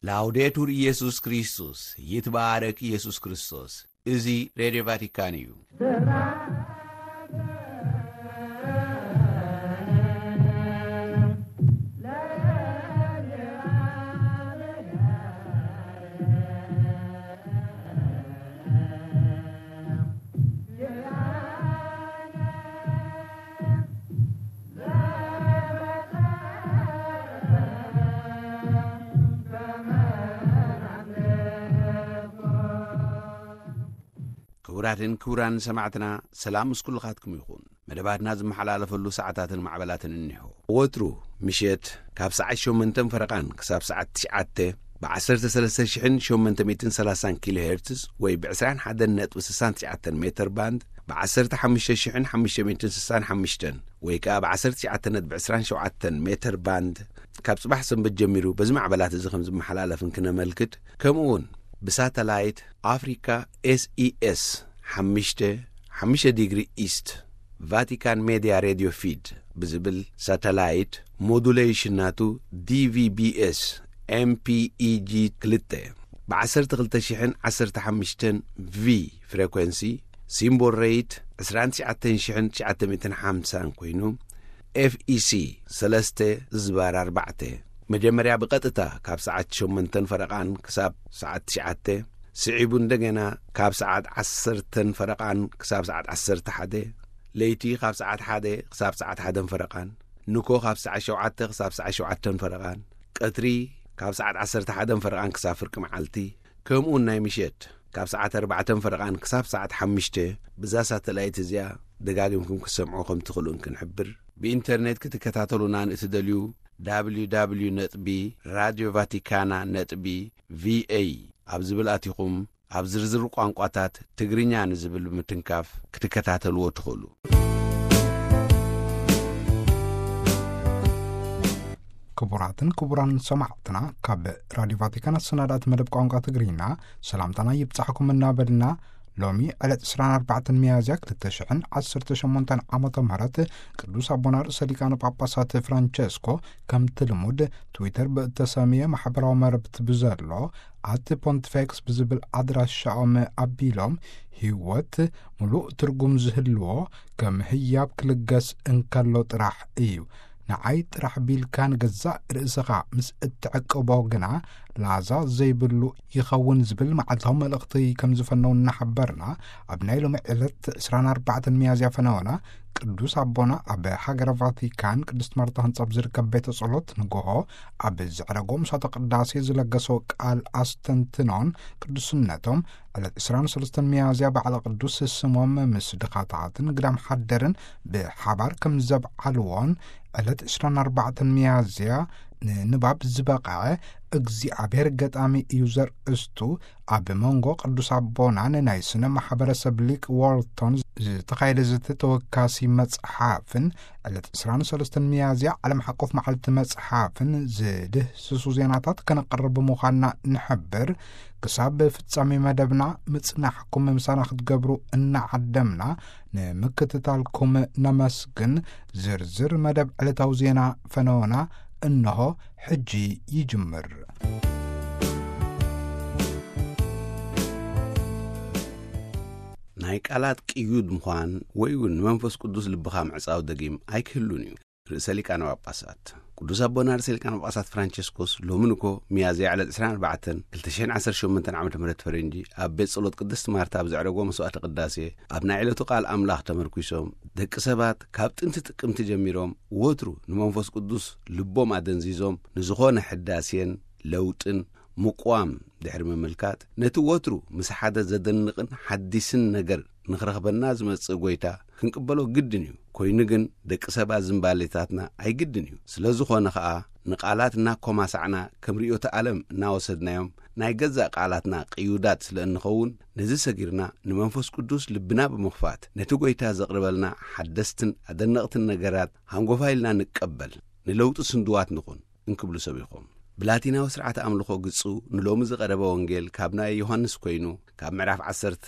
ላውዴቱር ኢየሱስ ክርስቶስ፣ ይትባረክ ኢየሱስ ክርስቶስ። እዚ ሬድዮ ቫቲካን እዩ። ክቡራትን ክቡራን ሰማዕትና፣ ሰላም ምስ ኩልኻትኩም ይኹን። መደባትና ዝመሓላለፈሉ ሰዓታትን ማዕበላትን እኒሆ። ወትሩ ምሸት ካብ ሰዓት ሸሞንተን ፈረቓን ክሳብ ሰዓት ትሽዓተ ብ ዓሰርተ ሰለስተ ሽሕን ሸሞንተ ሚእትን ሰላሳን ኪሎ ሄርትዝ ወይ ብ ዕስራን ሓደን ነጥቢ ስሳን ትሽዓተን ሜተር ባንድ፣ ብ ዓሰርተ ሓሙሽተ ሽሕን ሓሙሽተ ሚእትን ስሳን ሓሙሽተን ወይ ከኣ ብ ዓሰርተ ትሽዓተ ነጥቢ ዕስራን ሸውዓተን ሜተር ባንድ፣ ካብ ጽባሕ ሰንበት ጀሚሩ በዚ ማዕበላት እዚ ከም ዝመሓላለፍ እንክነመልክት፣ ከምኡ እውን ብሳተላይት ኣፍሪካ ኤስኢኤስ ሓሙሽተ፣ ሓሙሽተ ዲግሪ ኢስት፣ ቫቲካን ሜድያ ሬድዮ ፊድ ብዝብል ሳተላይት፣ ሞዱሌሽን ናቱ ዲቪቢኤስ ኤምፒኢጂ ክልተ፣ ብ ዓሰርተ ክልተ ሽሕን ዓሰርተ ሓሙሽተን ቪ ፍሬኮንሲ፣ ሲምቦል ሬት ዕስራን ትሽዓተን ሽሕን ትሽዓተ ሚእትን ሓምሳን ኮይኑ፣ ኤፍኢሲ ሰለስተ ዝባር ኣርባዕተ፣ መጀመርያ ብቐጥታ ካብ ሰዓት ሸሞንተን ፈረቓን ክሳብ ሰዓት ትሽዓተ፣ ስዒቡ እንደገና ካብ ሰዓት ዓሰርተን ፈረቓን ክሳብ ሰዓት ዓሰርተ ሓደ፣ ለይቲ ካብ ሰዓት ሓደ ክሳብ ሰዓት ሓደን ፈረቓን፣ ንኮ ካብ ሰዓት ሸውዓተ ክሳብ ሰዓት ሸውዓተን ፈረቓን፣ ቀትሪ ካብ ሰዓት ዓሰርተ ሓደን ፈረቓን ክሳብ ፍርቂ መዓልቲ፣ ከምኡውን ናይ ምሸት ካብ ሰዓት ኣርባዕተን ፈረቓን ክሳብ ሰዓት ሓሙሽተ፣ ብዛ ሳተላይት እዚኣ ደጋጊምኩም ክትሰምዑ ከም ትኽእሉ እንክንሕብር፣ ብኢንተርኔት ክትከታተሉና ንእትደልዩ፣ www ነጥቢ ራድዮ ቫቲካና ነጥቢ ቪኤ ኣብ ዝብል ኣቲኹም፣ ኣብ ዝርዝር ቋንቋታት ትግርኛ ንዝብል ብምትንካፍ ክትከታተልዎ ትኽእሉ። ክቡራትን ክቡራን ሰማዕትና፣ ካብ ራድዮ ቫቲካን ኣሰናዳእቲ መደብ ቋንቋ ትግርኛ ሰላምታና ይብጻሕኩም እናበልና፣ ሎሚ ዕለት ዕስራን ኣርባዕተን ሚያዝያ ክልተ ሽሕን ዓሰርተ ሸሞንተን ዓመተ ምህረት ቅዱስ ኣቦና ርእሰ ሊቃነ ጳጳሳት ፍራንቸስኮ ከምቲ ልሙድ ትዊተር ብእተሰምየ ማሕበራዊ መረብቲ ብዘሎ ኣት ፖንቲፌክስ ብዝብል ኣድራሻኦም ኣቢሎም፣ ህይወት ምሉእ ትርጉም ዝህልዎ ከም ህያብ ክልገስ እንከሎ ጥራሕ እዩ። ንዓይ ጥራሕ ቢልካ ንገዛእ ርእስኻ ምስ እትዕቅቦ ግና ላዛ ዘይብሉ ይኸውን ዝብል መዓልታዊ መልእኽቲ ከም ዝፈነው እናሓበርና፣ ኣብ ናይ ሎሚ ዕለት ዕስራን ኣርባዕተን ሚያዝያ ፈነወና ቅዱስ ኣቦና ኣብ ሃገረ ቫቲካን ቅድስት ማርታ ህንጻ ኣብ ዝርከብ ቤተ ጸሎት ንግሆ ኣብ ዘዕረጎ ምሳተ ቅዳሴ ዝለገሰው ቃል ኣስተንትኖን ቅዱስነቶም ዕለት ዕስራን ሰለስተን ሚያዝያ በዓለ ቅዱስ ስሞም ምስ ድኻታትን ግዳም ሓደርን ብሓባር ከም ዘብዓልዎን ዕለት ዕስራን ኣርባዕተን ሚያዝያ ንንባብ ዝበቕዐ እግዚኣብሔር ገጣሚ እዩ ዘርእስቱ ኣብ መንጎ ቅዱስ ኣቦናን ናይ ስነ ማሕበረሰብ ሊቅ ዋልቶን ዝተኻየደ ዘተ ተወካሲ መጽሓፍን ዕለት ዕስራን ሰለስተን ሚያዝያ ዓለም ሓቆፍ መዓልቲ መጽሓፍን ዝድህስሱ ዜናታት ከነቕርብ ምዃንና ንሕብር። ክሳብ ፍጻሜ መደብና ምጽናሕኩም ምሳና ክትገብሩ እናዓደምና ንምክትታልኩም ነመስግን። ዝርዝር መደብ ዕለታዊ ዜና ፈነወና እንሆ ሕጂ ይጅምር። ናይ ቃላት ቅዩድ ምዃን ወይ እውን ንመንፈስ ቅዱስ ልብኻ ምዕጻው ደጊም ኣይክህሉን እዩ። ርእሰ ሊቃነ ጳጳሳት ቅዱስ ኣቦና ርእሰ ሊቃነ ጳጳሳት ፍራንቸስኮስ ሎሚ ንኮ ሚያዝያ ዕለት ዕስራን ኣርባዕተን ክልተ ሽሕን ዓሰርተ ሸሞንተን ዓመተ ምህረት ፈረንጂ ኣብ ቤት ጸሎት ቅድስት ማርታ ኣብ ዘዕረጎ መስዋዕተ ቅዳሴ ኣብ ናይ ዕለቱ ቃል ኣምላኽ ተመርኲሶም፣ ደቂ ሰባት ካብ ጥንቲ ጥቅምቲ ጀሚሮም ወትሩ ንመንፈስ ቅዱስ ልቦም ኣደንዚዞም ንዝኾነ ሕዳሴን ለውጥን ምቋም ድሕሪ ምምልካት፣ ነቲ ወትሩ ምስ ሓደ ዘደንቕን ሓዲስን ነገር ንኽረኽበና ዝመጽእ ጐይታ ክንቅበሎ ግድን እዩ። ኮይኑ ግን ደቂ ሰባት ዝንባሌታትና ኣይግድን እዩ። ስለ ዝኾነ ኸኣ ንቓላት እናኮማሳዕና ከም ርእዮተ ዓለም እናወሰድናዮም ናይ ገዛእ ቃላትና ቅዩዳት ስለ እንኸውን፣ ነዚ ሰጊርና ንመንፈስ ቅዱስ ልብና ብምኽፋት ነቲ ጐይታ ዘቕርበልና ሓደስትን ኣደነቕትን ነገራት ሃንጎፋ ኢልና ንቀበል፣ ንለውጢ ስንድዋት ንኹን። እንክብሉ ሰቢኾም። ብላቲናዊ ስርዓተ ኣምልኾ ግጹ ንሎሚ ዝቐረበ ወንጌል ካብ ናይ ዮሃንስ ኮይኑ፣ ካብ ምዕራፍ ዓሰርተ፣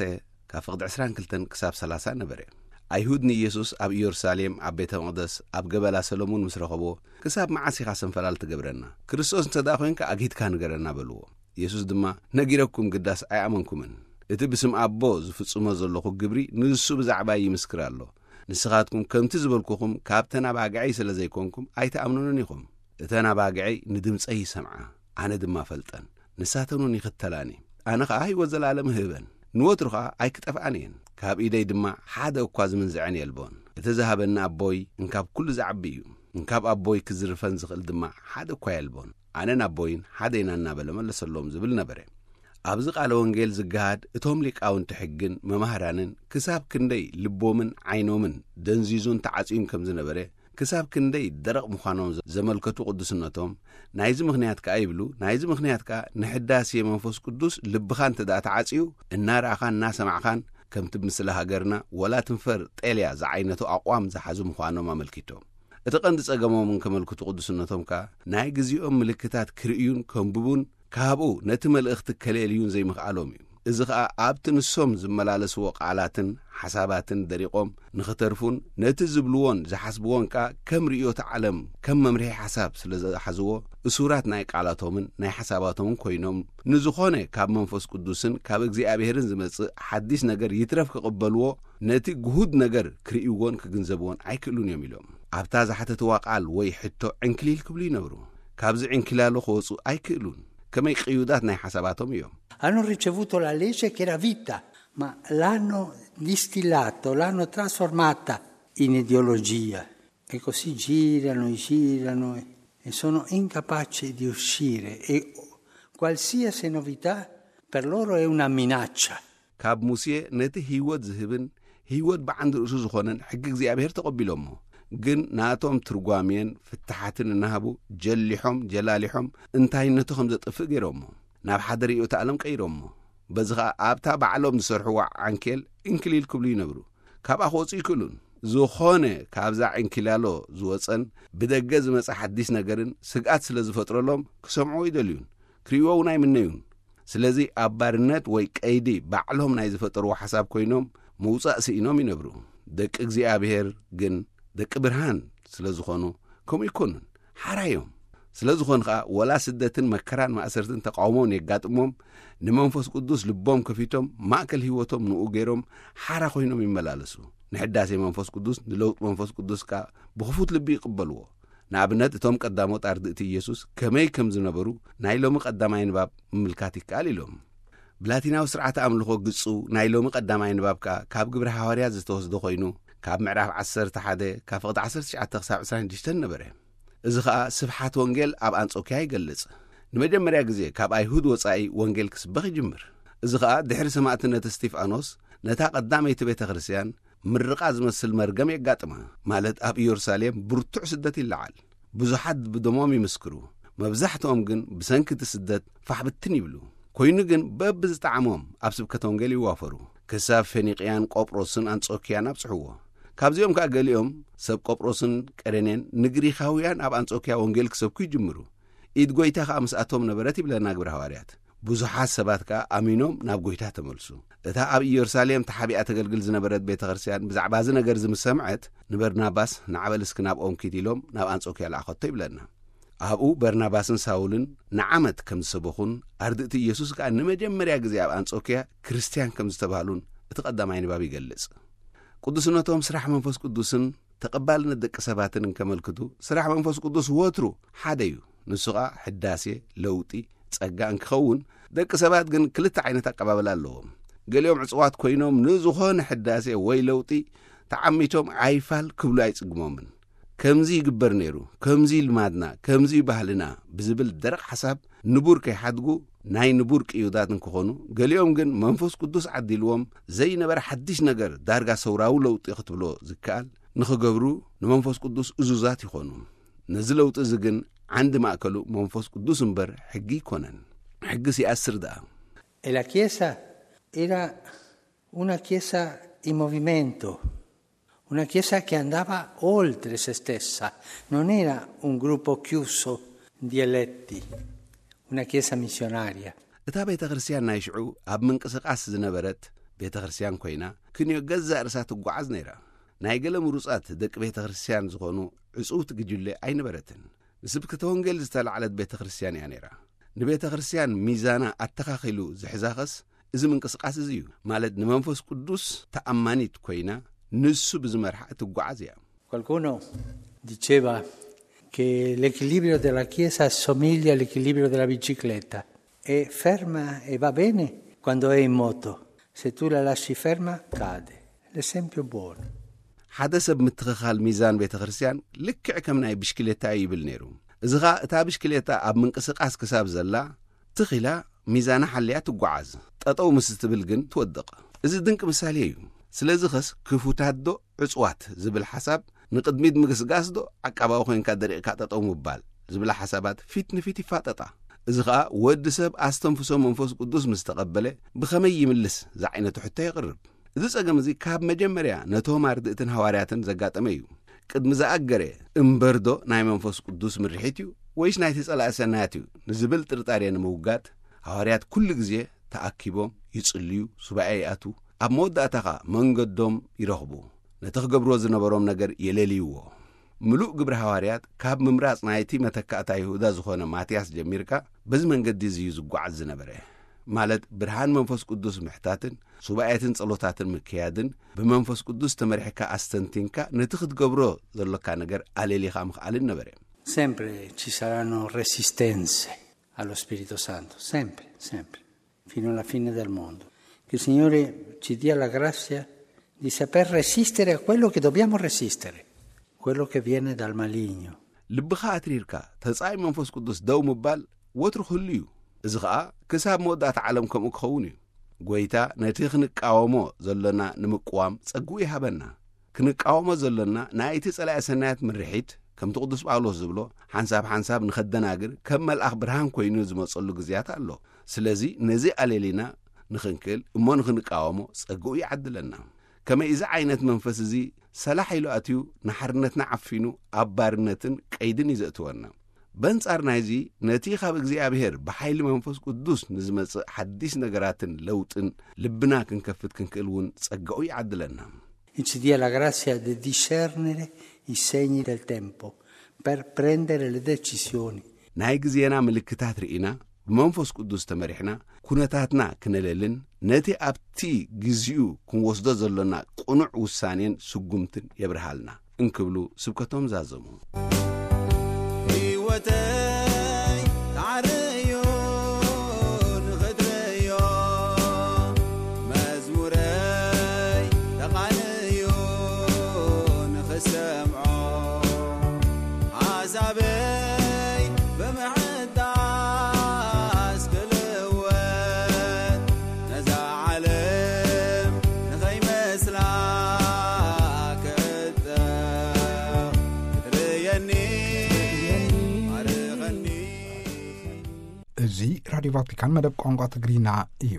ካብ ፍቕዲ ዕስራን ክልተን ክሳብ ሰላሳ ነበረ። ኣይሁድ ንኢየሱስ ኣብ ኢየሩሳሌም ኣብ ቤተ መቕደስ ኣብ ገበላ ሰሎሞን ምስ ረኸቦ፣ "ክሳብ መዓስ ኢኻ ሰንፈላል ትገብረና? ክርስቶስ እንተ ደኣ ኾይንካ ኣግሂድካ ንገረና" በልዎ። ኢየሱስ ድማ፣ "ነጊረኩም ግዳስ ኣይኣመንኩምን። እቲ ብስም ኣቦ ዝፍጽሞ ዘለኹ ግብሪ ንሱ ብዛዕባይ ይምስክር ኣሎ። ንስኻትኩም ከምቲ ዝበልኩኹም ካብተን ኣባግዐይ ስለ ዘይኮንኩም ኣይትኣምኑንን ኢኹም። እተን ኣባግዐይ ንድምጸይ ይሰምዓ፣ ኣነ ድማ ፈልጠን። ንሳተን እውን ይኽተላኒ። ኣነ ኸኣ ህይወት ዘለኣለም እህበን። ንወትሩ ኸኣ ኣይክጠፍኣን እየን። ካብ ኢደይ ድማ ሓደ እኳ ዝምንዝዐን የልቦን። እቲ ዝሃበኒ ኣቦይ እንካብ ኩሉ ዝዓቢ እዩ። እንካብ ኣቦይ ክዝርፈን ዝኽእል ድማ ሓደ እኳ የልቦን። ኣነን ኣቦይን ሓደ ኢና" እናበለ መለሰሎም ዝብል ነበረ። ኣብዚ ቃለ ወንጌል ዝገሃድ እቶም ሊቃውንቲ ሕግን መማህራንን ክሳብ ክንደይ ልቦምን ዓይኖምን ደንዚዙን ተዓጽዩን ከም ዝነበረ፣ ክሳብ ክንደይ ደረቕ ምዃኖም ዘ-፣ ዘመልከቱ ቅዱስነቶም፣ ናይዚ ምኽንያት ከኣ ይብሉ፣ ናይዚ ምኽንያት ከኣ ንሕዳሴ መንፈስ ቅዱስ ልብኻ እንተ ደኣ ተዓጽዩ፣ እናረኣኻን እናሰማዕኻን፣ ከምቲ ብምስሊ ሃገርና፣ ወላ ትንፈር ጤልያ ዝዓይነቱ ኣቕዋም ዝሓዙ ምዃኖም ኣመልኪቶም። እቲ ቀንዲ ጸገሞም እንከመልክቱ ቅዱስነቶም ከኣ፣ ናይ ግዜኦም ምልክታት ክርእዩን ከንብቡን፣ ካብኡ ነቲ መልእኽቲ ከለልዩን ዘይምኽኣሎም እዩ። እዚ ኸኣ ኣብቲ ንሶም ዝመላለስዎ ቃላትን ሓሳባትን ደሪቖም ንኽተርፉን ነቲ ዝብልዎን ዝሓስብዎን ከኣ ከም ርእዮተ ዓለም፣ ከም መምርሒ ሓሳብ ስለ ዝሓዝዎ፣ እሱራት ናይ ቃላቶምን ናይ ሓሳባቶምን ኮይኖም፣ ንዝኾነ ካብ መንፈስ ቅዱስን ካብ እግዚኣብሔርን ዝመጽእ ሓዲስ ነገር ይትረፍ ክቕበልዎ፣ ነቲ ግሁድ ነገር ክርእይዎን ክግንዘብዎን ኣይክእሉን እዮም ኢሎም። ኣብታ ዝሓተትዋ ቃል ወይ ሕቶ ዕንክሊል ክብሉ ይነብሩ። ካብዚ ዕንኪላሎ ክወጹ ኣይክእሉን። ከመይ ቅዩዳት ናይ ሓሳባቶም እዮም። Hanno ricevuto la legge che era vita, ma l'hanno distillato, l'hanno trasformata in ideologia. E così girano e girano e, e sono incapaci di uscire. E qualsiasi novità per loro è una minaccia. ካብ ሙሴ ነቲ ህይወት ዝህብን ህይወት ብዓንዲ ርእሱ ዝኾነን ሕጊ እግዚኣብሔር ተቐቢሎሞ። ግን ናቶም ትርጓሜን ፍትሓትን እናሃቡ ጀሊሖም ጀላሊሖም እንታይነቱ ከም ዘጥፍእ ገይሮሞ። ናብ ሓደ ርእዮተ ዓለም ቀይሮሞ። በዚ ኸኣ ኣብታ ባዕሎም ዝሰርሕዋ ዓንኬል እንክሊል ክብሉ ይነብሩ። ካብኣ ክወጹ ይክእሉን። ዝኾነ ካብዛ ዕንኪላሎ ዝወጸን ብደገ ዝመጸ ሓዲስ ነገርን ስግኣት ስለ ዝፈጥረሎም ክሰምዕዎ ይደልዩን ክርእይዎ እውን ኣይምነዩን። ስለዚ ኣብ ባርነት ወይ ቀይዲ ባዕሎም ናይ ዝፈጠርዎ ሓሳብ ኮይኖም ምውጻእ ስኢኖም ይነብሩ። ደቂ እግዚኣብሔር ግን ደቂ ብርሃን ስለ ዝኾኑ ከምኡ ይኮኑን። ሓራ እዮም። ስለ ዝኾኑ ኸኣ ወላ ስደትን መከራን ማእሰርትን ተቃውሞን የጋጥሞም፣ ንመንፈስ ቅዱስ ልቦም ከፊቶም ማእከል ህይወቶም ንኡ ገይሮም ሓራ ኮይኖም ይመላለሱ። ንሕዳሴ መንፈስ ቅዱስ ንለውጥ መንፈስ ቅዱስ ከኣ ብኽፉት ልቢ ይቕበልዎ። ንኣብነት እቶም ቀዳሞት ኣርድእቲ ኢየሱስ ከመይ ከም ዝነበሩ ናይ ሎሚ ቀዳማይ ንባብ ምምልካት ይከኣል ኢሎም። ብላቲናዊ ስርዓተ ኣምልኾ ግጹ ናይ ሎሚ ቀዳማይ ንባብ ከኣ ካብ ግብረ ሃዋርያት ዝተወስደ ኮይኑ ካብ ምዕራፍ ዓሰርተ ሓደ ካብ ፍቕዲ ዓሰርተ ትሽዓተ ክሳብ ዕስራን ሽዱሽተን ነበረ። እዚ ኸኣ ስብሓት ወንጌል ኣብ ኣንጾክያ ይገልጽ። ንመጀመርያ ግዜ ካብ ኣይሁድ ወጻኢ ወንጌል ክስበኽ ይጅምር። እዚ ኸኣ ድሕሪ ሰማእትነት እስቲፋኖስ ነታ ቀዳመይቲ ቤተ ክርስቲያን ምርቓ ዝመስል መርገም የጋጥማ። ማለት ኣብ ኢየሩሳሌም ብርቱዕ ስደት ይለዓል። ብዙሓት ብደሞም ይምስክሩ። መብዛሕትኦም ግን ብሰንኪ እቲ ስደት ፋሕ ብትን ይብሉ። ኮይኑ ግን በብዝጠዓሞም ኣብ ስብከተ ወንጌል ይዋፈሩ። ክሳብ ፌኒቅያን ቆጵሮስን ኣንጾክያን ኣብጽሕዎ። ካብዚኦም ከኣ ገሊኦም ሰብ ቆጵሮስን ቀሬኔን ንግሪኻውያን ኣብ ኣንጾክያ ወንጌል ክሰብኩ ይጅምሩ። ኢድ ጐይታ ከኣ ምስኣቶም ነበረት ይብለና ግብረ ሃዋርያት። ብዙሓት ሰባት ከኣ ኣሚኖም ናብ ጐይታ ተመልሱ። እታ ኣብ ኢየሩሳሌም ተሓቢኣ ተገልግል ዝነበረት ቤተ ክርስቲያን ብዛዕባ እዚ ነገር እዚ ምስ ሰምዐት፣ ንበርናባስ "ንዓ በል እስኪ ናብኦም ኪድ" ኢሎም ናብ ኣንጾክያ ለኣኸቶ ይብለና። ኣብኡ በርናባስን ሳውልን ንዓመት ከም ዝሰበኹን ኣርድእቲ ኢየሱስ ከኣ ንመጀመርያ ግዜ ኣብ ኣንጾክያ ክርስትያን ከም ዝተባህሉን እቲ ቀዳማይ ንባብ ይገልጽ። ቅዱስነቶም ስራሕ መንፈስ ቅዱስን ተቐባልነት ደቂ ሰባትን እንከመልክቱ፣ ስራሕ መንፈስ ቅዱስ ወትሩ ሓደ እዩ። ንሱ ኸኣ ሕዳሴ፣ ለውጢ፣ ጸጋ እንክኸውን፣ ደቂ ሰባት ግን ክልተ ዓይነት ኣቀባብላ ኣለዎም። ገሊኦም ዕጽዋት ኮይኖም ንዝኾነ ሕዳሴ ወይ ለውጢ ተዓሚቶም ኣይፋል ክብሉ ኣይጽግሞምን። "ከምዚ ይግበር ነይሩ፣ ከምዚ ልማድና፣ ከምዚ ባህልና" ብዝብል ደረቕ ሓሳብ ንቡር ከይሓድጉ ናይ ንቡር ቅዩዳት እንክኾኑ፣ ገሊኦም ግን መንፈስ ቅዱስ ዓዲልዎም ዘይነበረ ሓድሽ ነገር፣ ዳርጋ ሰውራዊ ለውጢ ክትብሎ ዝከኣል፣ ንኽገብሩ ንመንፈስ ቅዱስ እዙዛት ይኾኑ። ነዚ ለውጢ እዚ ግን ዓንዲ ማእከሉ መንፈስ ቅዱስ እምበር ሕጊ ኣይኮነን። ሕግስ ይኣስር ደኣ። E la Chiesa era una Chiesa in movimento, una Chiesa che andava oltre se stessa, non era un gruppo chiuso di eletti, una Chiesa missionaria. እታ ቤተ ክርስቲያን ናይ ሽዑ ኣብ ምንቅስቓስ ዝነበረት ቤተ ክርስቲያን ኮይና፣ ክንዮ ገዛእ ርእሳ ትጓዓዝ ነይራ። ናይ ገለ ምሩጻት ደቂ ቤተ ክርስቲያን ዝኾኑ ዕጽውቲ ግጅለ ኣይነበረትን። ንስብከተ ወንጌል ዝተላዕለት ቤተ ክርስቲያን እያ ነይራ። ንቤተ ክርስቲያን ሚዛና ኣተኻኺሉ ዝሕዛኸስ እዚ ምንቅስቃስ እዚ እዩ። ማለት ንመንፈስ ቅዱስ ተኣማኒት ኮይና ንሱ ብዝመርሓ እትጓዓዝ እያ። Qualcuno diceva che l'equilibrio della Chiesa assomiglia all'equilibrio della bicicletta. È ferma e va bene quando è in moto. Se tu la lasci ferma, cade. L'esempio buono. ሓደ ሰብ ምትኽኻል ሚዛን ቤተ ክርስቲያን ልክዕ ከም ናይ ብሽክሌታ እዩ ይብል ነይሩ። እዚ ኸኣ እታ ብሽክሌታ ኣብ ምንቅስቃስ ክሳብ ዘላ ትኺላ ሚዛና ሓልያ ትጓዓዝ። ጠጠው ምስ ትብል ግን ትወድቕ። እዚ ድንቂ ምሳሌ እዩ። ስለዚ ኸስ ክፉታት ዶ ዕጽዋት ዝብል ሓሳብ ንቕድሚት ምግስጋስ ዶ ዓቃባዊ ኮይንካ ደሪቕካ ጠጠው ምባል ዝብላ ሓሳባት ፊት ንፊት ይፋጠጣ። እዚ ኸኣ ወዲ ሰብ ኣስተንፍሶ መንፈስ ቅዱስ ምስ ተቐበለ ብኸመይ ይምልስ ዝዓይነቱ ሕቶ የቕርብ። እዚ ጸገም እዚ ካብ መጀመርያ ነቶም ኣርድእትን ሃዋርያትን ዘጋጠመ እዩ። ቅድሚ ዝኣገረ እምበርዶ ናይ መንፈስ ቅዱስ ምርሒት እዩ ወይስ ናይቲ ጸላኢ ሰናያት እዩ ንዝብል ጥርጣሬ ንምውጋድ ሃዋርያት ኩሉ ግዜ ተኣኪቦም ይጽልዩ፣ ሱባኤ ይኣትዉ፣ ኣብ መወዳእታ ኸኣ መንገዶም ይረኽቡ። ነቲ ክገብርዎ ዝነበሮም ነገር የለልይዎ። ምሉእ ግብሪ ሃዋርያት ካብ ምምራጽ ናይቲ መተካእታ ይሁዳ ዝኾነ ማትያስ ጀሚርካ በዚ መንገዲ እዚ እዩ ዝጓዓዝ ዝነበረ። ማለት ብርሃን መንፈስ ቅዱስ ምሕታትን ሱባኤትን ጸሎታትን ምክያድን ብመንፈስ ቅዱስ ተመሪሕካ ኣስተንቲንካ ነቲ ክትገብሮ ዘሎካ ነገር ኣለሊኻ ምኽኣልን ነበረ። Sempre ci saranno resistenze allo Spirito Santo, sempre, sempre, fino alla fine del mondo. Che il Signore ci dia la grazia di saper resistere a quello che dobbiamo resistere, quello che viene dal maligno. ልብኻ ኣትሪርካ ተጻይ መንፈስ ቅዱስ ደው ምባል ወትሩ ክህሉ እዩ። እዚ ኸኣ ክሳብ መወዳእታ ዓለም ከምኡ ክኸውን እዩ። ጎይታ ነቲ ክንቃወሞ ዘሎና ንምቅዋም ጸግኡ ይሃበና። ክንቃወሞ ዘሎና ናይቲ ጸላኢ ሰናያት ምርሒት፣ ከምቲ ቅዱስ ጳውሎስ ዝብሎ፣ ሓንሳብ ሓንሳብ ንኸደናግር ከም መልኣኽ ብርሃን ኮይኑ ዝመጸሉ ግዜያት ኣሎ። ስለዚ ነዚ ኣለሊና ንኽንክእል እሞ ንኽንቃወሞ ጸግኡ ይዓድለና። ከመይ እዚ ዓይነት መንፈስ እዚ ሰላሕ ኢሉ ኣትዩ ንሓርነትና ዓፊኑ ኣብ ባርነትን ቀይድን እዩ ዘእትወና። በንጻር ናይዚ ነቲ ካብ እግዚኣብሔር ብሓይሊ መንፈስ ቅዱስ ንዝመጽእ ሓዲስ ነገራትን ለውጥን ልብና ክንከፍት ክንክእል እውን ጸጋኡ ይዓድለና። E ci dia la grazia di discernere i segni del tempo per prendere le decisioni. ናይ ግዜና ምልክታት ርኢና ብመንፈስ ቅዱስ ተመሪሕና ኩነታትና ክነለልን ነቲ ኣብቲ ግዜኡ ክንወስዶ ዘሎና ቅኑዕ ውሳኔን ስጉምትን የብርሃልና እንክብሉ ስብከቶም ዛዘሙ። ህይወተይ ተዓረዮ ንኽትርእዮ፣ መዝሙረይ ተቓንዮ ንኽሰምዖ፣ ሓሳበይ ብምሕዳስ ክልወጥ፣ ነዛ ዓለም ንኸይመስላ ክዕጠቕ፣ ክትርእየኒ ማርኸኒ። እዚ ራድዮ ቫቲካን መደብ ቋንቋ ትግርኛ እዩ።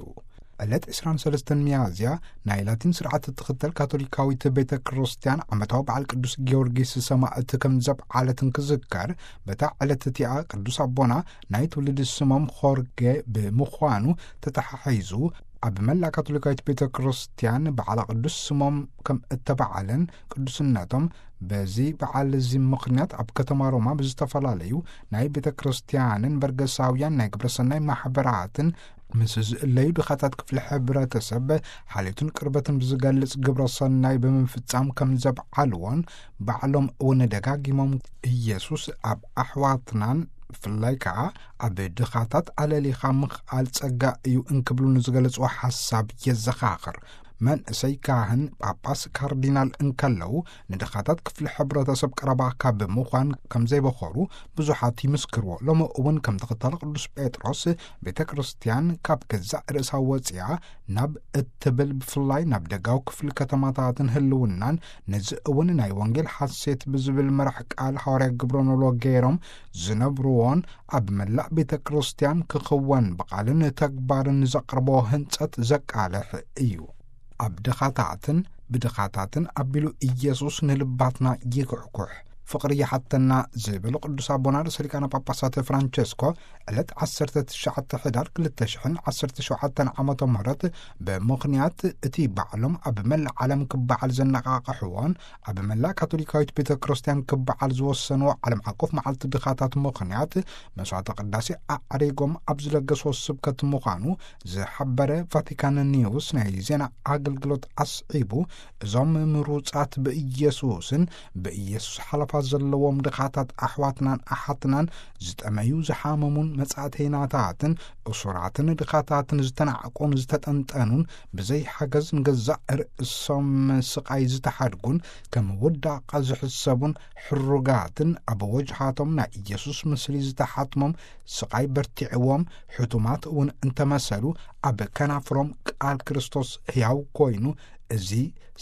ዕለት ዕስራን ሰለስተን ሚያዝያ ናይ ላቲን ስርዓት እትኽተል ካቶሊካዊት ቤተ ክርስቲያን ዓመታዊ በዓል ቅዱስ ጊዮርጊስ ሰማእት ከም ዘብዓለት እንክዝከር፣ በታ ዕለት እቲኣ ቅዱስ ኣቦና ናይ ትውልዲ ስሞም ኾርጌ ብምዃኑ ተተሓሒዙ ኣብ መላእ ካቶሊካዊት ቤተ ክርስቲያን በዓላ ቅዱስ ስሞም ከም እተበዓለን ቅዱስነቶም በዚ በዓል እዚ ምኽንያት ኣብ ከተማ ሮማ ብዝተፈላለዩ ናይ ቤተ ክርስቲያንን በርገሳውያን ናይ ግብረሰናይ ማሕበራትን ምስ ዝእለዩ ድኻታት ክፍሊ ሕብረተሰብ ሓልዮትን ቅርበትን ብዝገልጽ ግብረ ሰናይ ብምፍጻም ከም ዘብዓልዎን ባዕሎም እውን ደጋጊሞም ኢየሱስ ኣብ ኣሕዋትናን ብፍላይ ከኣ ኣብ ድኻታት ኣለሊኻ ምኽኣል ጸጋ እዩ እንክብሉ ንዝገለጽዎ ሓሳብ የዘኻኽር። መንእሰይ ካህን ጳጳስ ካርዲናል እንከለዉ ንድኻታት ክፍሊ ሕብረተሰብ ቀረባ ካብ ምዃን ከም ዘይበኸሩ ብዙሓት ይምስክርዎ። ሎሚ እውን ከም ተኸታሊ ቅዱስ ጴጥሮስ ቤተ ክርስቲያን ካብ ገዛእ ርእሳ ወፂኣ ናብ እትብል ብፍላይ ናብ ደጋዊ ክፍሊ ከተማታትን ህልውናን ነዚ እውን ናይ ወንጌል ሓሴት ብዝብል መራሕ ቃል ሃዋርያ ግብረ ኖሎ ገይሮም ዝነብርዎን ኣብ መላእ ቤተ ክርስቲያን ክኽወን ብቓልን ተግባርን ዘቕርቦ ህንጸት ዘቃልሕ እዩ። ኣብ ድኻታትን ብድኻታትን ኣቢሉ ኢየሱስ ንልባትና ይኩሕኩሕ። ፍቕሪ ይሓተና ዝበሉ ቅዱስ ኣቦና ርእሰ ሊቃነ ጳጳሳት ፍራንቸስኮ፣ ዕለት ዓሰርተ ትሽዓተ ሕዳር ክልተ ሽሕን ዓሰርተ ሸውዓተን ዓመተ ምህረት፣ ብምኽንያት እቲ ባዕሎም ኣብ መላእ ዓለም ክበዓል ዘነቓቕሕዎን ኣብ መላእ ካቶሊካዊት ቤተ ክርስቲያን ክበዓል ዝወሰንዎ ዓለም ዓቀፍ መዓልቲ ድኻታት ምኽንያት፣ መስዋዕተ ቅዳሴ ኣዕሪጎም ኣብ ዝለገስዎ ስብከት ምዃኑ ዝሓበረ ቫቲካን ኒውስ ናይ ዜና ኣገልግሎት ኣስዒቡ፣ እዞም ምሩጻት ብኢየሱስን ብኢየሱስ ሓለፋ ዘለዎም ድኻታት ኣሕዋትናን ኣሓትናን፣ ዝጠመዩ ዝሓመሙን መጻእተይናታትን እሱራትን ድኻታትን ዝተናዕቁን ዝተጠንጠኑን፣ ብዘይ ሓገዝ ንገዛእ ርእሶም ስቓይ ዝተሓድጉን ከም ውዳቐ ዝሕሰቡን ሕሩጋትን፣ ኣብ ወጅሃቶም ናይ ኢየሱስ ምስሊ ዝተሓትሞም፣ ስቓይ በርቲዕዎም፣ ሕቱማት እውን እንተመሰሉ፣ ኣብ ከናፍሮም ቃል ክርስቶስ ሕያው ኮይኑ፣ እዚ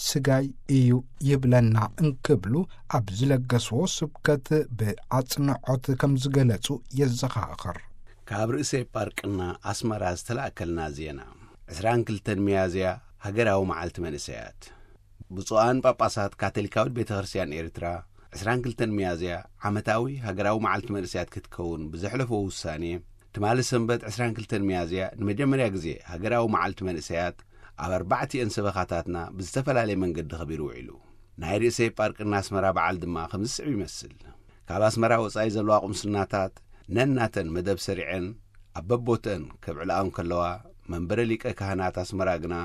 ስጋይ እዩ ይብለና እንክብሉ ኣብ ዝለገስዎ ስብከት ብኣጽንዖት ከም ዝገለጹ የዘኻኽር። ካብ ርእሰ ፓርቅና ኣስመራ ዝተላእከልና ዜና። ዕስራን ክልተን ሚያዝያ ሃገራዊ መዓልቲ መንእሰያት። ብፁዓን ጳጳሳት ካቶሊካዊት ቤተ ክርስቲያን ኤርትራ፣ ዕስራን ክልተን ሚያዝያ ዓመታዊ ሃገራዊ መዓልቲ መንእሰያት ክትከውን ብዘሕለፎ ውሳኔ፣ ትማሊ ሰንበት ዕስራን ክልተን ሚያዝያ ንመጀመርያ ግዜ ሃገራዊ መዓልቲ መንእሰያት ኣብ ኣርባዕቲኤን ሰበኻታትና ብዝተፈላለየ መንገዲ ኸቢሩ ውዒሉ። ናይ ርእሰ ፓርቅና ኣስመራ በዓል ድማ ከምዚ ዝስዕብ ይመስል። ካብ ኣስመራ ወጻኢ ዘለዋ ቁምስናታት ነናተን መደብ ሰሪዐን ኣብ በቦተን ከብዕልኣ እንከለዋ፣ መንበረ ሊቀ ካህናት ኣስመራ ግና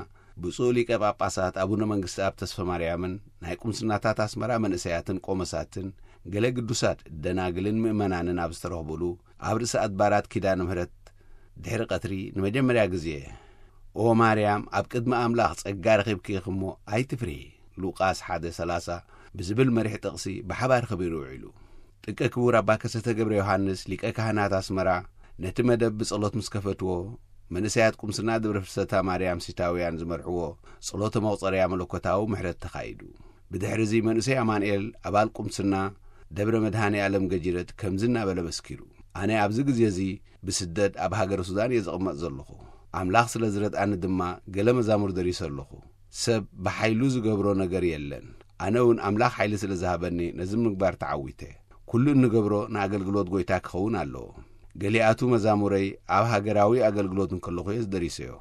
ብፁዕ ሊቀ ጳጳሳት ኣቡነ መንግስተኣብ ተስፈ ማርያምን ናይ ቁምስናታት ኣስመራ መንእሰያትን ቆመሳትን ገለ ግዱሳት ደናግልን ምእመናንን ኣብ ዝተረኽቡሉ፣ ኣብ ርእሰ ኣድባራት ኪዳነ ምሕረት ድሕሪ ቀትሪ ንመጀመርያ ግዜ፣ "ኦ ማርያም፣ ኣብ ቅድሚ ኣምላኽ ጸጋ ረኺብኪ ኢኺ እሞ ኣይትፍርሂ" ሉቃስ ሓደ ሰላሳ ብዝብል መሪሕ ጥቕሲ ብሓባር ከቢሩ ውዒሉ። ጥቀ ክቡር ኣባ ከሰተ ገብረ ዮሃንስ ሊቀ ካህናት ኣስመራ ነቲ መደብ ብጸሎት ምስ ከፈትዎ፣ መንእሰያት ቁምስና ደብረ ፍልሰታ ማርያም ሲታውያን ዝመርሕዎ ጸሎተ መቑጸርያ መለኮታዊ ምሕረት ተኻይዱ። ብድሕሪ እዚ መንእሰይ ኣማንኤል ኣባል ቁምስና ደብረ መድሃኔ ኣለም ገጂረት ከምዚ እናበለ መስኪሩ፣ ኣነ ኣብዚ ግዜ እዚ ብስደት ኣብ ሃገረ ሱዳን እየ ዝቕመጥ ዘለኹ። ኣምላኽ ስለ ዝረድኣኒ ድማ ገለ መዛሙር ደሪሰ ኣለኹ። ሰብ ብሓይሉ ዝገብሮ ነገር የለን። ኣነ እውን ኣምላኽ ሓይሊ ስለ ዝሃበኒ ነዚ ምግባር ተዓዊተ። ኩሉ እንገብሮ ንኣገልግሎት ጐይታ ክኸውን ኣለዎ። ገሊኣቱ መዛሙረይ ኣብ ሃገራዊ ኣገልግሎት እንከለኹ እየ ዝደሪሰዮ።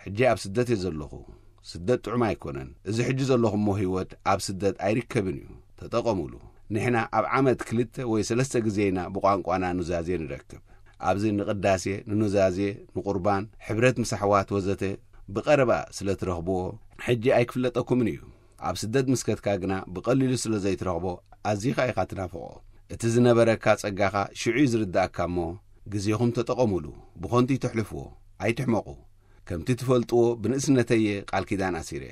ሕጂ ኣብ ስደት እየ ዘለኹ። ስደት ጥዑም ኣይኮነን። እዚ ሕጂ ዘለኹሞ ህይወት ኣብ ስደት ኣይርከብን እዩ። ተጠቐሙሉ። ንሕና ኣብ ዓመት ክልተ ወይ ሰለስተ ግዜ ኢና ብቋንቋና ኑዛዜ ንረክብ። ኣብዚ ንቕዳሴ፣ ንኑዛዜ፣ ንቑርባን፣ ሕብረት ምስ ኣሕዋት ወዘተ ብቐረባ ስለ ትረኽብዎ፣ ሕጂ ኣይክፍለጠኩምን እዩ። ኣብ ስደት ምስ ከድካ ግና ብቐሊሉ ስለ ዘይትረኽቦ፣ ኣዚኻ ኢኻ ትናፍቖ። እቲ ዝነበረካ ጸጋኻ ሽዑ እዩ ዝርድኣካ እሞ፣ ግዜኹም ተጠቐሙሉ። ብኸንቱ ይተሕልፍዎ። ኣይትሕመቑ። ከምቲ ትፈልጥዎ፣ ብንእስነተይ እየ ቃል ኪዳን ኣሲረ።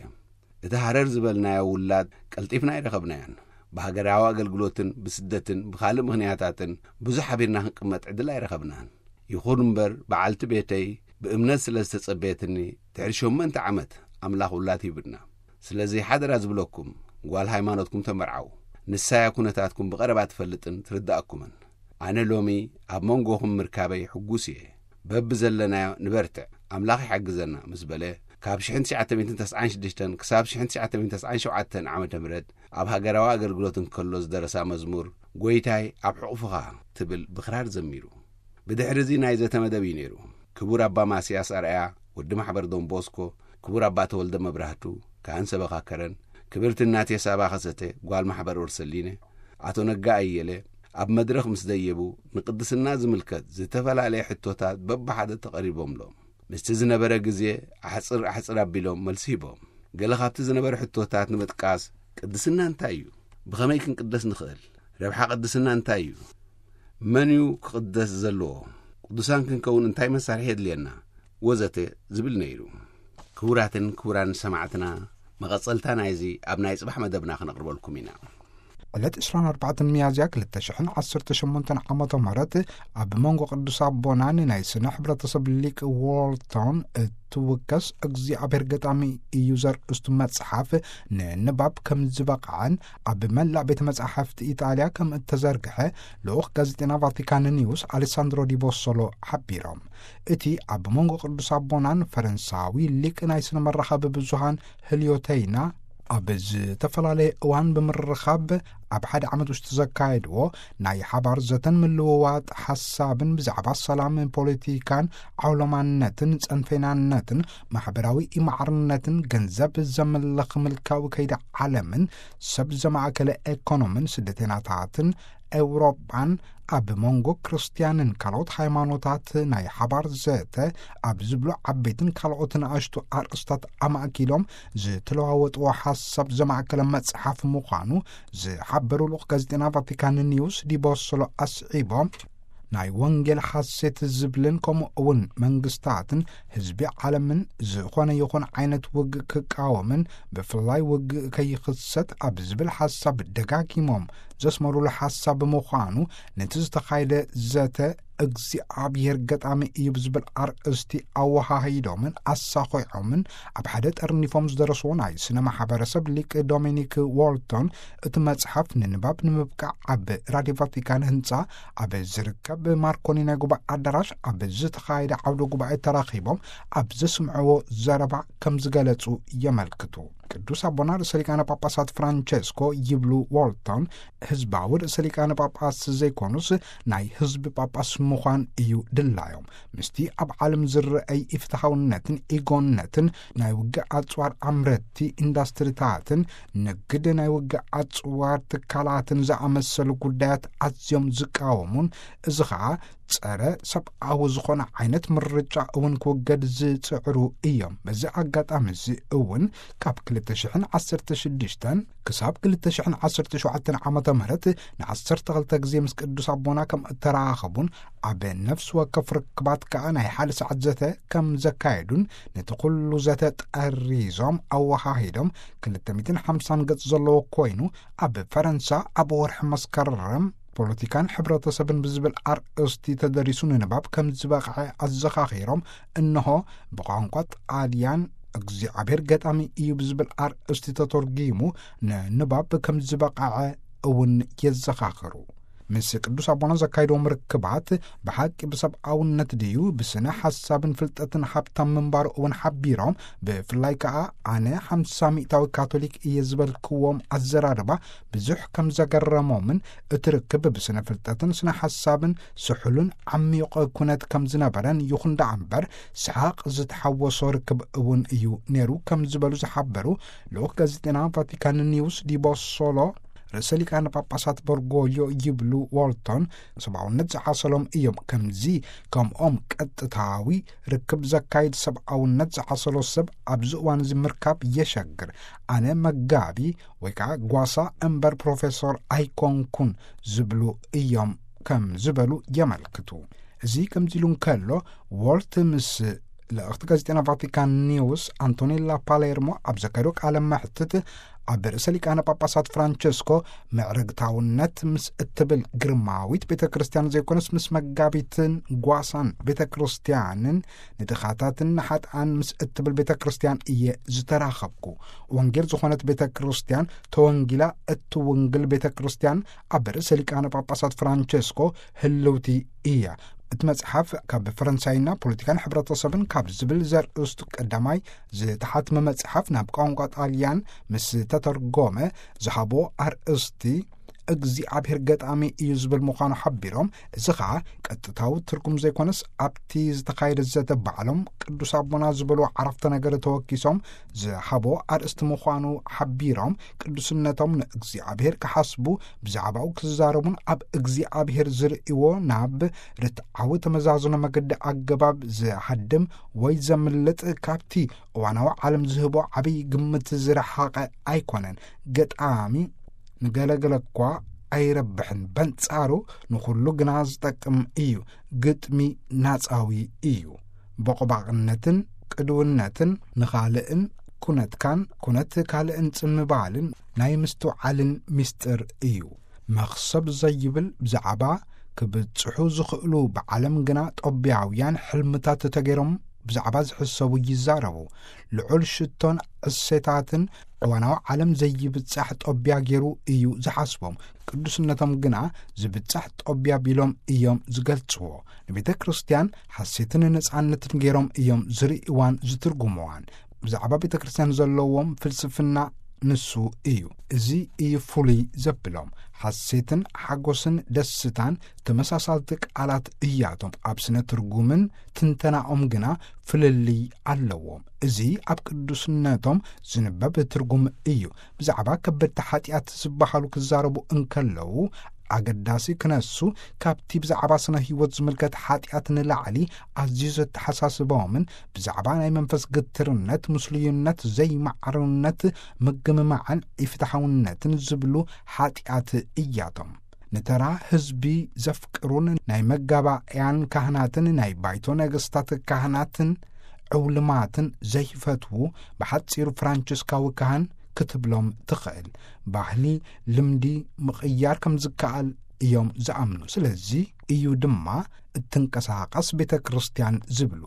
እቲ ሃረር ዝበልናዮ ውላድ ቀልጢፍና ኣይረኸብናዮን። ብሃገራዊ ኣገልግሎትን ብስደትን ብኻልእ ምኽንያታትን ብዙሕ ሓቢርና ክንቅመጥ ዕድል ኣይረኸብናን። ይኹን እምበር፣ በዓልቲ ቤተይ ብእምነት ስለ ዝተጸበየትኒ፣ ድሕሪ ሸሞንተ ዓመት ኣምላኽ ውላድ ሂቡና። ስለዚ ሓደራ ዝብለኩም፣ ጓል ሃይማኖትኩም ተመርዓዉ። ንሳ እያ ኩነታትኩም ብቐረባ ትፈልጥን ትርድኣኩምን። ኣነ ሎሚ ኣብ መንጎኹም ምርካበይ ሕጉስ እየ። በብዘለናዮ ንበርትዕ፣ ኣምላኽ ይሓግዘና ምስ በለ፣ ካብ ሽሕን ትሽዓተ ሚእትን ተስዓን ሽዱሽተን ክሳብ ሽሕን ትሽዓተ ሚእትን ተስዓን ሸውዓተን ዓመተ ምህረት ኣብ ሃገራዊ ኣገልግሎት እንከሎ ዝደረሳ መዝሙር፣ "ጐይታይ ኣብ ሕቑፍኻ" ትብል ብኽራር ዘሚሩ። ብድሕሪ እዚ ናይ ዘተ መደብ እዩ ነይሩ። ክቡር ኣባ ማስያስ ኣርኣያ፣ ወዲ ማሕበር ዶን ቦስኮ፣ ክቡር ኣባ ተወልደ መብራህቱ፣ ካህን ሰበኻ ከረን፣ ክብርቲ እናቴ ሳባ ከሰተ፣ ጓል ማሕበር ኦርሰሊነ፣ ኣቶ ነጋ ኣየለ፣ ኣብ መድረኽ ምስ ደየቡ፣ ንቅድስና ዝምልከት ዝተፈላለየ ሕቶታት በብሓደ ተቐሪቦምሎም። ምስቲ ዝነበረ ግዜ ኣሕጽር ኣሕጽር ኣቢሎም መልሲ ሂቦም። ገለ ካብቲ ዝነበረ ሕቶታት ንምጥቃስ፣ ቅድስና እንታይ እዩ? ብኸመይ ክንቅደስ ንኽእል? ረብሓ ቅድስና እንታይ እዩ? መን እዩ ክቕደስ ዘለዎ? ቅዱሳን ክንከውን እንታይ መሳርሒ የድልየና? ወዘተ ዝብል ነይሩ። ክቡራትን ክቡራን ሰማዕትና፣ መቐጸልታ ናይዚ ኣብ ናይ ጽባሕ መደብና ክነቕርበልኩም ኢና። ዕለት ዕስራን ኣርባዕተን ሚያዝያ ክልተ ሽሕን ዓሰርተ ሸሞንተን ዓመተ ምህረት ኣብ መንጎ ቅዱስ ኣቦናን ናይ ስነ ሕብረተሰብ ሊቅ ዎልቶን እትውከስ እግዚኣብሔር ገጣሚ እዩ ዘርእስቱ መጽሓፍ ንንባብ ከም ዝበቕዐን ኣብ መላእ ቤተ መጻሕፍቲ ኢጣልያ ከም እተዘርግሐ ልኡኽ ጋዜጠና ቫቲካን ኒውስ ኣሌሳንድሮ ዲቦሶሎ ሓቢሮም። እቲ ኣብ መንጎ ቅዱስ ኣቦናን ፈረንሳዊ ሊቅ ናይ ስነ መራኸቢ ብዙሃን ህልዮተይና ኣብ ዝተፈላለየ እዋን ብምርኻብ ኣብ ሓደ ዓመት ውሽጢ ዘካየድዎ ናይ ሓባር ዘተን ምልውዋጥ ሓሳብን ብዛዕባ ሰላም፣ ፖለቲካን ዓውሎማነትን ጸንፌናነትን ማሕበራዊ ኢማዕርነትን ገንዘብ ዘምልኽ ምልካዊ ከይዲ ዓለምን ሰብ ዘማእከለ ኤኮኖምን ስደተናታትን ኤውሮጳን ኣብ መንጎ ክርስትያንን ካልኦት ሃይማኖታት ናይ ሓባር ዘተ ኣብ ዝብሉ ዓበይትን ካልኦት ንኣሽቱ ኣርእስታት ኣማእኪሎም ዝተለዋወጥዎ ሓሳብ ዘማእከለ መጽሓፍ ምዃኑ ዝሓበሩ ልኡኽ ጋዜጠና ቫቲካን ኒውስ ዲቦሶሎ ኣስዒቦም፣ ናይ ወንጌል ሓሴት ዝብልን ከምኡ እውን መንግስታትን ህዝቢ ዓለምን ዝኾነ ይኹን ዓይነት ውግእ ክቃወምን ብፍላይ ውግእ ከይኽሰት ኣብ ዝብል ሓሳብ ደጋጊሞም ዘስመሩሉ ሓሳብ ብምዃኑ፣ ነቲ ዝተኻየደ ዘተ እግዚኣብሔር ገጣሚ እዩ ብዝብል ኣርእስቲ ኣወሃሂዶምን ኣሳኺዖምን ኣብ ሓደ ጠርኒፎም ዝደረስዎ ናይ ስነ ማሕበረሰብ ሊቅ ዶሚኒክ ዎልቶን፣ እቲ መጽሓፍ ንንባብ ንምብቃዕ ኣብ ራድዮ ቫቲካን ህንጻ ኣብ ዝርከብ ማርኮኒ ናይ ጉባኤ ኣዳራሽ ኣብ ዝተኻየደ ዓውደ ጉባኤ ተራኺቦም ኣብ ዘስምዕዎ ዘረባ ከም ዝገለጹ የመልክቱ። ቅዱስ ኣቦና ርእሰ ሊቃነ ጳጳሳት ፍራንቸስኮ ይብሉ ዎልቶን፣ ህዝባዊ ርእሰ ሊቃነ ጳጳስ ዘይኮኑስ ናይ ህዝቢ ጳጳስ ምዃን እዩ ድላዮም። ምስቲ ኣብ ዓለም ዝረአይ ኢፍትሐውነትን ኢጎነትን ናይ ውግእ ኣጽዋር ኣምረቲ ኢንዳስትሪታትን ንግድ ናይ ውግእ ኣጽዋር ትካላትን ዝኣመሰሉ ጉዳያት ኣዝዮም ዝቃወሙን፣ እዚ ኸኣ ጸረ ሰብኣዊ ዝኾነ ዓይነት ምርጫ እውን ክውገድ ዝጽዕሩ እዮም። በዚ ኣጋጣሚ እዚ እውን ካብ ክልተ ሽሕን ዓሰርተ ሽዱሽተን ክሳብ ክልተ ሽሕን ዓሰርተ ሸውዓተን ዓመተ ምህረት ንዓሰርተ ክልተ ግዜ ምስ ቅዱስ ኣቦና ከም እተራኸቡን ኣብ ነፍሲ ወከፍ ርክባት ከኣ ናይ ሓደ ሰዓት ዘተ ከም ዘካየዱን ነቲ ኩሉ ዘተ ጠሪዞም ኣወሃሂዶም ክልተ ሚእትን ሓምሳን ገጽ ዘለዎ ኮይኑ ኣብ ፈረንሳ ኣብ ወርሒ መስከረም ፖለቲካን ሕብረተሰብን ብዝብል ኣርእስቲ ተደሪሱ ንንባብ ከም ዝበቕዐ ኣዘኻኺሮም፣ እንሆ ብቋንቋ ጣልያን እግዚኣብሔር ገጣሚ እዩ ብዝብል ኣርእስቲ ተተርጒሙ ንንባብ ከም ዝበቕዐ እውን የዘኻኽሩ። ምስ ቅዱስ ኣቦና ዘካየድዎም ርክባት ብሓቂ ብሰብኣውነት ድዩ ብስነ ሓሳብን ፍልጠትን ሃብታም ምንባሩ እውን ሓቢሮም፣ ብፍላይ ከኣ ኣነ ሓምሳ ሚእታዊ ካቶሊክ እየ ዝበልክዎም ኣዘራርባ ብዙሕ ከም ዘገረሞምን እቲ ርክብ ብስነ ፍልጠትን ስነ ሓሳብን ስሑልን ዓሚቕ ኩነት ከም ዝነበረን፣ ይኹን ደኣ እምበር ሰሓቕ ዝተሓወሶ ርክብ እውን እዩ ነይሩ ከም ዝበሉ ዝሓበሩ ልኡኽ ጋዜጠና ቫቲካን ኒውስ ዲቦሶሎ፣ ርእሰ ሊቃነ ጳጳሳት በርጎልዮ ይብሉ ዎልቶን፣ ሰብኣውነት ዝዓሰሎም እዮም። ከምዚ ከምኦም ቀጥታዊ ርክብ ዘካይድ ሰብኣውነት ዝዓሰሎ ሰብ ኣብዚ እዋን እዚ ምርካብ የሸግር። ኣነ መጋቢ ወይ ከዓ ጓሳ እምበር ፕሮፌሶር ኣይኮንኩን ዝብሉ እዮም ከም ዝበሉ የመልክቱ። እዚ ከምዚ ኢሉ እንከሎ፣ ዎልት ምስ ልእኽቲ ጋዜጠና ቫቲካን ኒውስ ኣንቶኔላ ፓሌርሞ ኣብ ዘካየዶ ቃለ መሕትት፣ ኣብ ርእሰ ሊቃነ ጳጳሳት ፍራንቸስኮ ምዕርግታውነት ምስ እትብል ግርማዊት ቤተ ክርስቲያን ዘይኮነስ ምስ መጋቢትን ጓሳን ቤተ ክርስቲያንን ንድኻታትን ንሓጥኣን ምስ እትብል ቤተ ክርስቲያን እየ ዝተራኸብኩ። ወንጌል ዝኾነት ቤተ ክርስቲያን ተወንጊላ እትውንግል ቤተ ክርስቲያን ኣብ ርእሰ ሊቃነ ጳጳሳት ፍራንቸስኮ ህልውቲ እያ። እቲ መጽሓፍ ካብ ፈረንሳይና ፖለቲካን ሕብረተሰብን ካብ ዝብል ዘርእስቱ ቀዳማይ ዝተሓትመ መጽሓፍ ናብ ቋንቋ ጣልያን ምስ ተተርጎመ ዝሃቦ ኣርእስቲ እግዚኣብሔር ገጣሚ እዩ ዝብል ምዃኑ ሓቢሮም፣ እዚ ኸኣ ቀጥታዊ ትርጉም ዘይኮነስ ኣብቲ ዝተኻየደ ዘተ ባዕሎም ቅዱስ ኣቦና ዝበልዎ ዓረፍተ ነገር ተወኪሶም ዝሃቦ ኣርእስቲ ምዃኑ ሓቢሮም፣ ቅዱስነቶም ንእግዚኣብሔር ክሓስቡ፣ ብዛዕባኡ ክዛረቡን ኣብ እግዚኣብሔር ዝርእይዎ ናብ ርትዓዊ ተመዛዝኖ መገዲ ኣገባብ ዝሃድም ወይ ዘምልጥ፣ ካብቲ እዋናዊ ዓለም ዝህቦ ዓብዪ ግምት ዝረሓቐ ኣይኮነን። ገጣሚ ንገለገለ እኳ ኣይረብሕን፣ በንጻሩ ንኹሉ ግና ዝጠቅም እዩ። ግጥሚ ናጻዊ እዩ። ቦቕባቕነትን ቅድውነትን ንኻልእን ኩነትካን ኩነት ካልእን ጽምባልን ናይ ምስትውዓልን ምስጢር እዩ። መኽሰብ ዘይብል ብዛዕባ ክብጽሑ ዝኽእሉ ብዓለም ግና ጦብያውያን ሕልምታት ተገይሮም ብዛዕባ ዝሕሰቡ ይዛረቡ። ልዑል ሽቶን ዕሴታትን እዋናዊ ዓለም ዘይብጻሕ ጦብያ ገይሩ እዩ ዝሓስቦም። ቅዱስነቶም ግና ዝብጻሕ ጦብያ ቢሎም እዮም ዝገልጽዎ። ንቤተ ክርስቲያን ሓሴትን ነጻነትን ገይሮም እዮም ዝርእይዋን ዝትርጉምዋን። ብዛዕባ ቤተ ክርስቲያን ዘለዎም ፍልስፍና ንሱ እዩ። እዚ እዩ ፍሉይ ዘብሎም። ሓሴትን ሓጎስን ደስታን ተመሳሳልቲ ቃላት እያቶም። ኣብ ስነ ትርጉምን ትንተናኦም ግና ፍልልይ ኣለዎም። እዚ ኣብ ቅዱስነቶም ዝንበብ ትርጉም እዩ። ብዛዕባ ከበድቲ ሓጢኣት ዝበሃሉ ክዛረቡ እንከለዉ፣ ኣገዳሲ ክነሱ ካብቲ ብዛዕባ ስነ ህይወት ዝምልከት ሓጢኣት ንላዕሊ ኣዝዩ ዘተሓሳስቦምን ብዛዕባ ናይ መንፈስ ግትርነት፣ ምስሉይነት፣ ዘይማዕርነት፣ ምግምማዕን ኢፍትሓውነትን ዝብሉ ሓጢኣት እያቶም። ንተራ ህዝቢ ዘፍቅሩን ናይ መጋባእያን ካህናትን ናይ ባይቶ ነገስታት ካህናትን ዕውልማትን ዘይፈትዉ፣ ብሓጺሩ ፍራንቸስካዊ ካህን ክትብሎም ትኽእል። ባህሊ፣ ልምዲ ምቕያር ከም ዝከኣል እዮም ዝኣምኑ። ስለዚ እዩ ድማ እትንቀሳቐስ ቤተ ክርስቲያን ዝብሉ።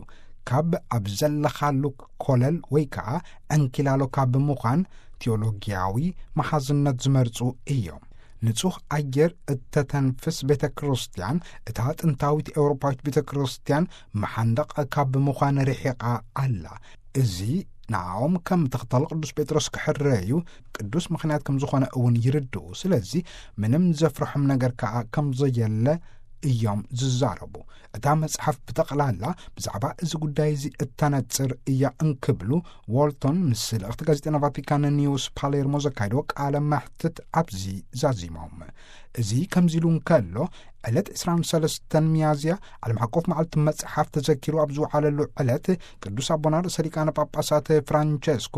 ካብ ኣብ ዘለኻሉ ኮለል ወይ ከኣ ዕንኪላሎ ካብ ምዃን ቴዎሎጊያዊ መሓዝነት ዝመርጹ እዮም። ንጹህ ኣየር እተተንፍስ ቤተ ክርስቲያን፣ እታ ጥንታዊት ኤውሮፓዊት ቤተ ክርስቲያን መሓንደቕ ካብ ምዃን ርሒቓ ኣላ። እዚ ንኣኦም ከም ተኸታሊ ቅዱስ ጴጥሮስ ክሕረዩ ቅዱስ ምኽንያት ከም ዝኾነ እውን ይርድኡ። ስለዚ ምንም ዘፍርሖም ነገር ከኣ ከም ዘየለ እዮም ዝዛረቡ። እታ መጽሓፍ ብጠቕላላ ብዛዕባ እዚ ጉዳይ እዚ እተነጽር እያ እንክብሉ ዎልቶን ምስ ልእኽቲ ጋዜጠና ቫቲካን ኒውስ ፓሌርሞ ዘካየድዎ ቃለ መሕትት ኣብዚ ዛዚሞም። እዚ ከምዚ ኢሉ እንከሎ፣ ዕለት ዕስራን ሰለስተን ሚያዝያ ዓለም ሓቆፍ መዓልቲ መጽሓፍ ተዘኪሩ ኣብ ዝወዓለሉ ዕለት፣ ቅዱስ ኣቦና ርእሰ ሊቃነ ጳጳሳት ፍራንቸስኮ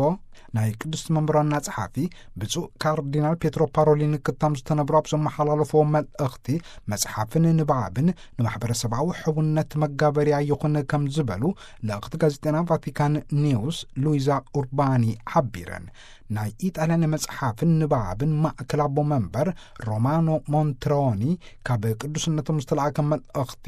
ናይ ቅድስቲ መንበራና ጸሓፊ ብፁዕ ካርዲናል ፔትሮ ፓሮሊን ክታም ዝተነብሮ ኣብ ዘመሓላለፍዎ መልእኽቲ፣ መጽሓፍን ንባብን ንማሕበረሰባዊ ሕውነት መጋበርያ ይኹን ከም ዝበሉ ልእኽቲ ጋዜጠና ቫቲካን ኒውስ ሉዊዛ ኡርባኒ ሓቢረን። ናይ ኢጣልያን መጽሓፍን ንባብን ማእከል ኣቦ መንበር ሮማኖ ሞንትሮኒ ካብ ቅዱስነቶም ዝተላእከ መልእኽቲ፣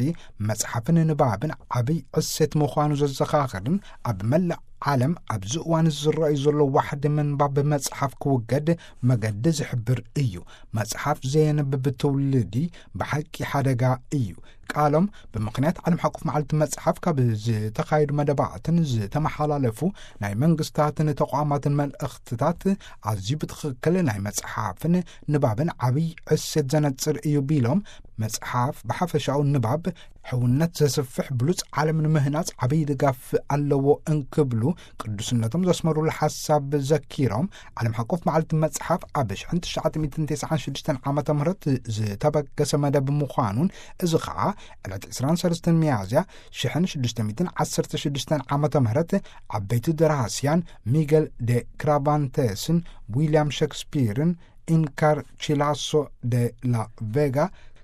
መጽሓፍን ንባብን ዓብይ ዕሴት ምዃኑ ዘዘኻኽርን ኣብ መላእ ዓለም ኣብዚ እዋን ዝረኣዩ ዘሎ ዋሕዲ ምንባብ መጽሓፍ ክውገድ መገዲ ዝሕብር እዩ። መጽሓፍ ዘየንብብ ትውልዲ ብሓቂ ሓደጋ እዩ። ቃሎም ብምኽንያት ዓለም ሓቆፍ መዓልቲ መጽሓፍ ካብ ዝተኻየዱ መደባትን ዝተመሓላለፉ ናይ መንግስታትን ተቋማትን መልእኽትታት ኣዝዩ ብትኽክል ናይ መጽሓፍን ንባብን ዓብይ ዕሴት ዘነጽር እዩ ቢሎም፣ መጽሓፍ ብሓፈሻኡ ንባብ ሕውነት ዘስፍሕ ብሉጽ ዓለም ንምህናጽ ዓብይ ድጋፍ ኣለዎ እንክብሉ ቅዱስነቶም ዘስመሩሉ ሓሳብ ዘኪሮም፣ ዓለም ሓቆፍ መዓልቲ መጽሓፍ ኣብ ሽሕን ትሽዓተ ሚእትን ተስዓን ሽዱሽተን ዓመተ ምህረት ዝተበገሰ መደብ ምዃኑን፣ እዚ ኸዓ ዕለት ዕስራን ሰለስተን ሚያዝያ ሽሕን ሽዱሽተ ሚእትን ዓሰርተ ሽዱሽተን ዓመተ ምህረት ዓበይቲ ደራስያን ሚገል ደ ክራቫንተስን ዊልያም ሸክስፒርን ኢንካር ቺላሶ ደ ላ ቬጋ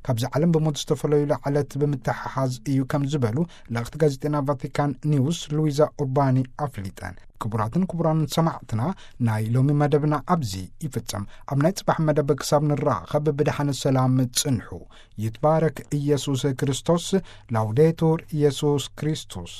ካብዚ ዓለም ብሞት ዝተፈለዩሉ ዕለት ብምትሕሓዝ እዩ ከም ዝበሉ ልእኽቲ ጋዜጠና ቫቲካን ኒውስ ሉዊዛ ኡርባኒ ኣፍሊጠን። ክቡራትን ክቡራንን ሰማዕትና፣ ናይ ሎሚ መደብና ኣብዚ ይፍጸም። ኣብ ናይ ጽባሕ መደብ ክሳብ ንራኸብ ብደሓን ሰላም ጽንሑ። ይትባረክ ኢየሱስ ክርስቶስ። ላውዴቱር ኢየሱስ ክርስቶስ።